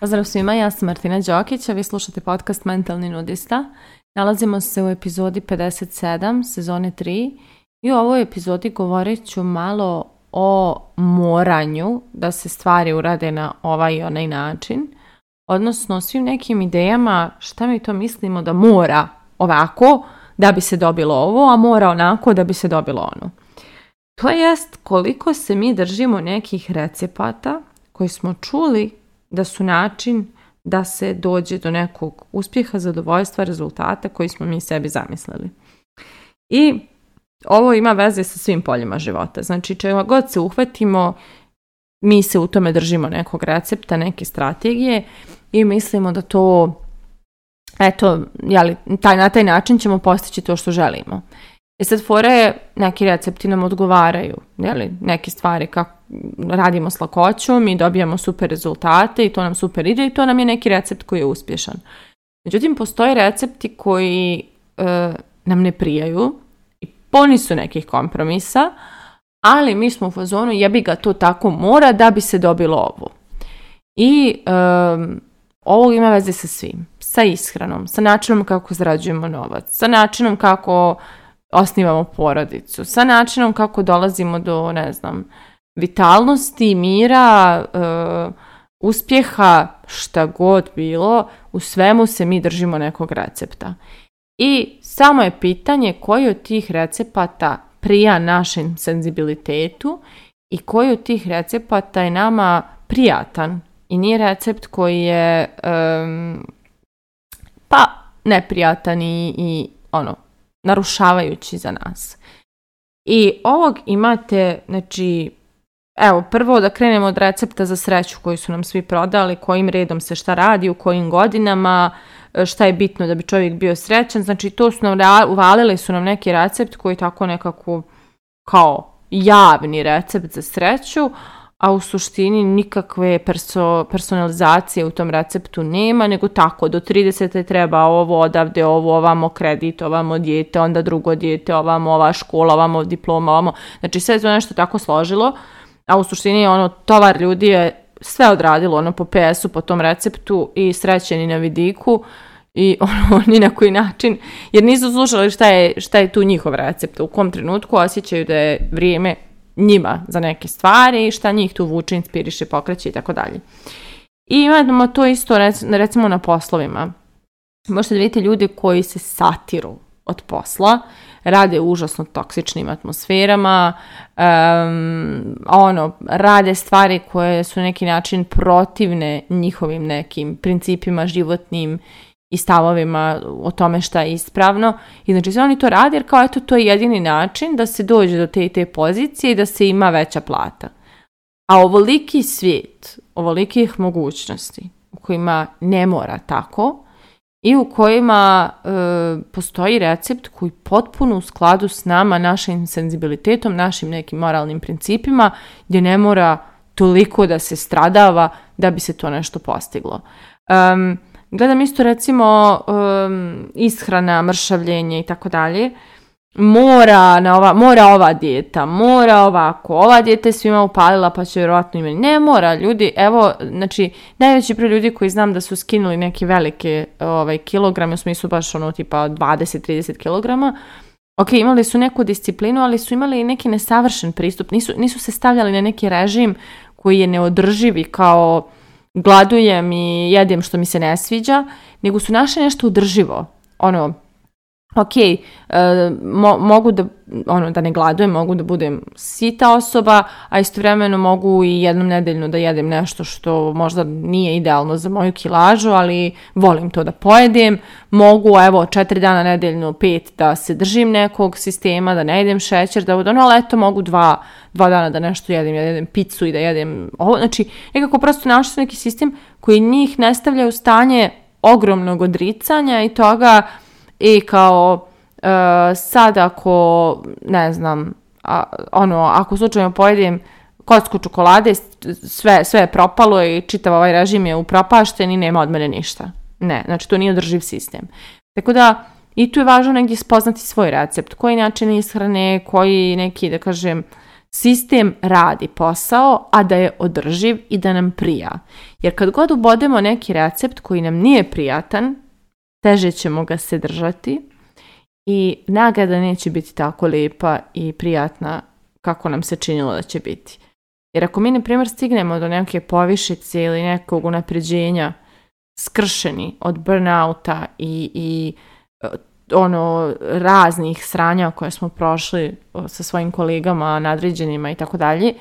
Pozdrav svima, ja sam Martina Đokić, a vi slušate podcast Mentalni nudista. Nalazimo se u epizodi 57, sezone 3 i u ovoj epizodi govorit ću malo o moranju da se stvari urade na ovaj i onaj način, odnosno svim nekim idejama šta mi to mislimo da mora ovako da bi se dobilo ovo, a mora onako da bi se dobilo ono. To jest koliko se mi držimo nekih recepata koji smo čuli da su način da se dođe do nekog uspjeha, zadovoljstva, rezultata koji smo mi sebi zamislili. I ovo ima veze sa svim poljima života. Znači, čega god se uhvatimo, mi se u tome držimo nekog recepta, neke strategije i mislimo da to, na taj način ćemo postići to što želimo. I sad fora je, neki recepti nam odgovaraju, neke stvari kako radimo s lakoćom i dobijamo super rezultate i to nam super ide i to nam je neki recept koji je uspješan. Međutim, postoje recepti koji nam ne prijaju i puni su nekih kompromisa, ali mi smo u fazonu jebi ga to tako mora da bi se dobilo ovo. I ovo ima veze sa svim, sa ishranom, sa načinom kako zarađujemo novac, sa načinom kako osnivamo porodicu, sa načinom kako dolazimo do, vitalnosti, mira, uspjeha, šta god bilo, u svemu se mi držimo nekog recepta. I samo je pitanje koji od tih recepata prija našem senzibilitetu i koji od tih recepata je nama prijatan i nije recept koji je neprijatan i narušavajući za nas. I ovog imate, prvo da krenemo od recepta za sreću koji su nam svi prodali, kojim redom se šta radi, u kojim godinama, šta je bitno da bi čovjek bio srećan. Znači, to su nam uvalili su nam neki recept koji tako nekako kao javni recept za sreću, a u suštini nikakve personalizacije u tom receptu nema, nego tako, do 30. treba ovo, odavde ovo, ovamo kredit, ovamo dijete, onda drugo dijete, ovamo ova škola, ovamo diploma, ovamo. Znači, sve je to nešto tako složilo, a u suštini tovar ljudi je sve odradilo po PS-u, po tom receptu i srećeni na vidiku i ni na koji način, jer nisu slušali šta je tu njihov recept, u kom trenutku osjećaju da je vrijeme njima za neke stvari, šta njih tu vuče, inspiriše, pokreće i tako dalje. I imamo to isto recimo na poslovima. Možete da vidite ljude koji se satiru od posla, rade u užasno toksičnim atmosferama, rade stvari koje su na neki način protivne njihovim nekim principima životnim i stavovima o tome šta je ispravno. I znači sve oni to rade jer kao to je jedini način da se dođe do te pozicije i da se ima veća plata. A ovoliki svijet, ovolikih mogućnosti u kojima ne mora tako i u kojima postoji recept koji potpuno u skladu s nama, našim senzibilitetom, našim nekim moralnim principima, gdje ne mora toliko da se stradava da bi se to nešto postiglo. Gledam isto recimo ishrana, mršavljenje i tako dalje. Mora ova dijeta, mora ovako, ova dijeta je svima upalila pa će vjerojatno imati. Ne mora, ljudi, najveći broj ljudi koji znam da su skinuli neke velike kilograme, u smislu baš tipa 20-30 kilograma, imali su neku disciplinu, ali su imali neki nesavršen pristup, nisu se stavljali na neki režim koji je neodrživi kao gladujem i jedem što mi se ne sviđa, nego su našli nešto održivo. Mogu da ne gladujem, mogu da budem sita osoba, a istovremeno mogu i jednom nedeljno da jedem nešto što možda nije idealno za moju kilažu, ali volim to da pojedem. Mogu, 4 dana nedeljno, 5 da se držim nekog sistema, da ne jedem šećer, ali mogu 2 dana da nešto jedem, ja jedem picu i da jedem ovo. Znači, nekako prosto našli su neki sistem koji njih ne stavlja u stanje ogromnog odricanja i toga. I kao sad ako, ako slučajno pojedem kocku čokolade, sve je propalo i čitav režim je upropašten i nema od mene ništa. Ne, znači to nije održiv sistem. Tako da I tu je važno negdje spoznati svoj recept, koji način ishrane, koji neki, da kažem, sistem radi posao, a da je održiv i da nam prija. Jer kad god ubodemo neki recept koji nam nije prijatan, teže ćemo ga se držati i nagrada neće biti tako lijepa i prijatna kako nam se činilo da će biti. Jer ako mi, na primjer, stignemo do neke povišice ili nekog unapređenja skršeni od burnouta i raznih sranja koje smo prošli sa svojim kolegama, nadređenima i tako dalje,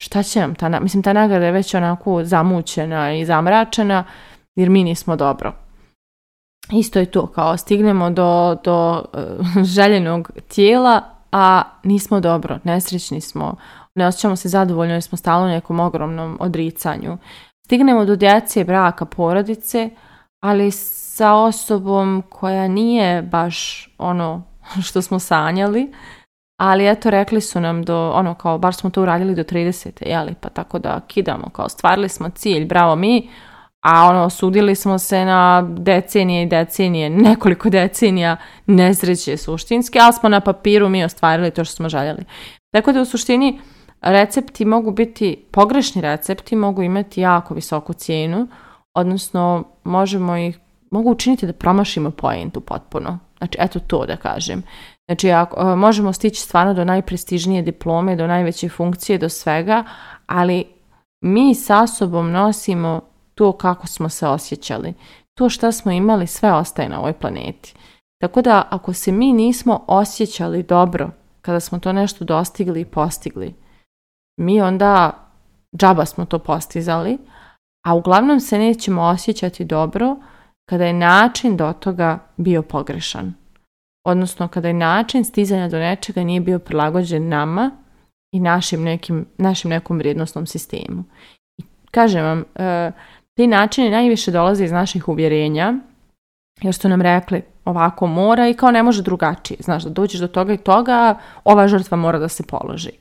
šta će nam ta nagrada je već onako zamućena i zamračena jer mi nismo dobro. Isto je to, kao stignemo do željenog tijela, a nismo dobro, nesrećni smo, ne osjećamo se zadovoljno jer smo stalno u nekom ogromnom odricanju. Stignemo do djece, braka, porodice, ali sa osobom koja nije baš ono što smo sanjali, ali eto rekli su nam kao bar smo to uradili do 30. jeli, pa tako da kidamo, kao stvarili smo cilj, bravo mi, a osudili smo se na decenije i decenije, nekoliko decenija nesreće suštinske, ali smo na papiru mi ostvarili to što smo željeli. Tako da u suštini recepti mogu biti, pogrešni recepti mogu imati jako visoku cijenu, odnosno mogu učiniti da promašimo poentu potpuno. Znači, eto to da kažem. Znači, možemo stići stvarno do najprestižnije diplome, do najveće funkcije, do svega, ali mi sa sobom nosimo to kako smo se osjećali. To što smo imali, sve ostaje na ovoj planeti. Tako da, ako se mi nismo osjećali dobro kada smo to nešto dostigli i postigli, mi onda džaba smo to postizali, a uglavnom se nećemo osjećati dobro kada je način do toga bio pogrešan. Odnosno, kada je način stizanja do nečega nije bio prilagođen nama i našim nekom vrijednosnom sistemu. I kažem vam, ti načini najviše dolaze iz naših uvjerenja, jer su nam rekli ovako mora i kao ne može drugačije. Znaš, da dođeš do toga i toga, ova žrtva mora da se položi.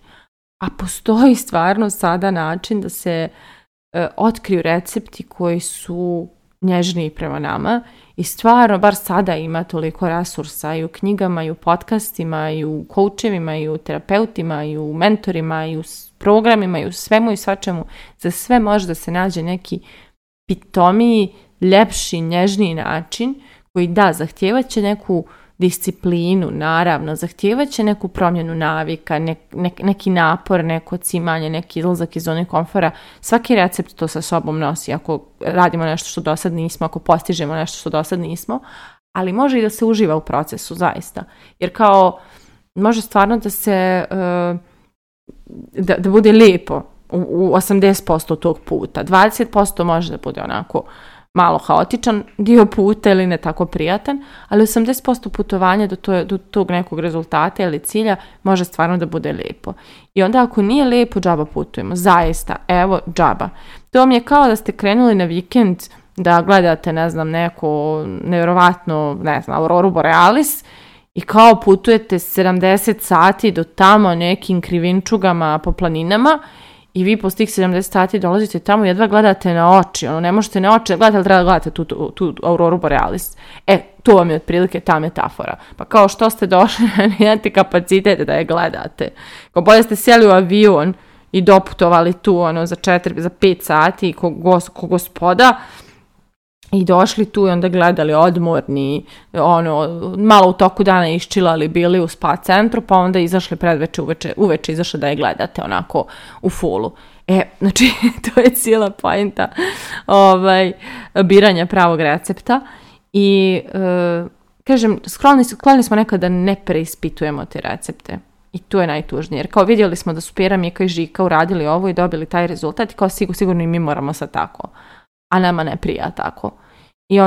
A postoji stvarno sada način da se otkriju recepti koji su nježniji prema nama i stvarno, bar sada ima toliko resursa i u knjigama, i u podcastima, i u coachevima, i u terapeutima, i u mentorima, i u programima, i u svemu i svačemu. Za sve može da se nađe neki pitomiji, ljepši, nježniji način koji zahtijevat će neku disciplinu, naravno, zahtijevat će neku promjenu navika, neki napor, neko cimanje, neki izlazak iz zone komfora. Svaki recept to sa sobom nosi ako radimo nešto što do sad nismo, ako postižemo nešto što do sad nismo, ali može i da se uživa u procesu, zaista. Jer kao može stvarno da se da bude lijepo u 80% tog puta. 20% može da bude onako malo haotičan dio puta ili ne tako prijatan, ali 80% putovanja do tog nekog rezultata ili cilja može stvarno da bude lijepo. I onda ako nije lijepo, džaba putujemo. Zaista, evo, džaba. To vam je kao da ste krenuli na vikend da gledate, neko nevjerovatno, Auroru Borealis i kao putujete 70 sati do tamo nekim krivinčugama po planinama i vi poslije tih 70 sati dolazite tamo i jedva gledate na oči. Ne možete na oči gledati, ali treba da gledate tu Auroru Borealis. To vam je otprilike ta metafora. Pa kao što ste došli, nemate kapacitet da je gledate. Kao bolje ste sjeli u avion i doputovali tu za 5 sati ko gospoda i došli tu i onda gledali odmorni, malo u toku dana iščilali, bili u spa centru, pa onda izašli predveče, uveče izašli da je gledate onako u fullu. Znači, to je cijela poenta biranja pravog recepta i kažem, skloni smo nekada da ne preispitujemo te recepte. I to je najtužnije, jer kao vidjeli smo da su Pera, Mika i Žika uradili ovo i dobili taj rezultat i kao sigurno i mi moramo sad tako. A nama ne prija tako. I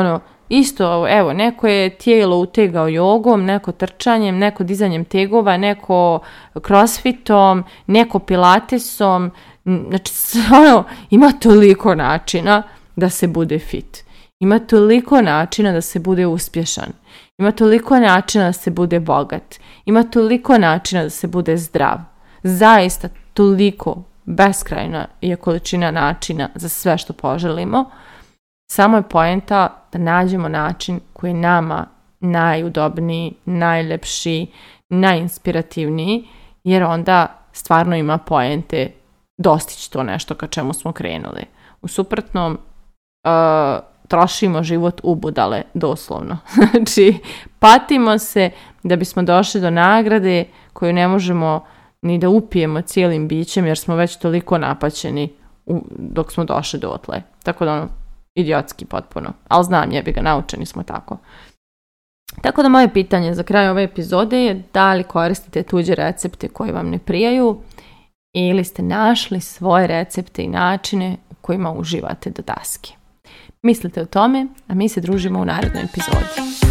isto, evo, neko je tijelo utegao jogom, neko trčanjem, neko dizanjem tegova, neko crossfitom, neko pilatesom. Znači, ima toliko načina da se bude fit. Ima toliko načina da se bude uspješan. Ima toliko načina da se bude bogat. Ima toliko načina da se bude zdrav. Zaista toliko beskrajna je količina načina za sve što poželimo. Samo je poenta da nađemo način koji nama najudobniji, najlepši, najinspirativniji, jer onda stvarno ima poente dostići to nešto ka čemu smo krenuli. U suprotnom, trošimo život u budale, doslovno. Znači, patimo se da bismo došli do nagrade koju ne možemo ni da upijemo cijelim bićem jer smo već toliko napaćeni dok smo došli dotle. Tako da idiotski potpuno. Ali znam, jebi ga, naučeni smo tako. Tako da moje pitanje za kraj ove epizode je da li koristite tuđe recepte koji vam ne prijaju ili ste našli svoje recepte i načine u kojima uživate do daske. Mislite o tome, a mi se družimo u narednoj epizodi.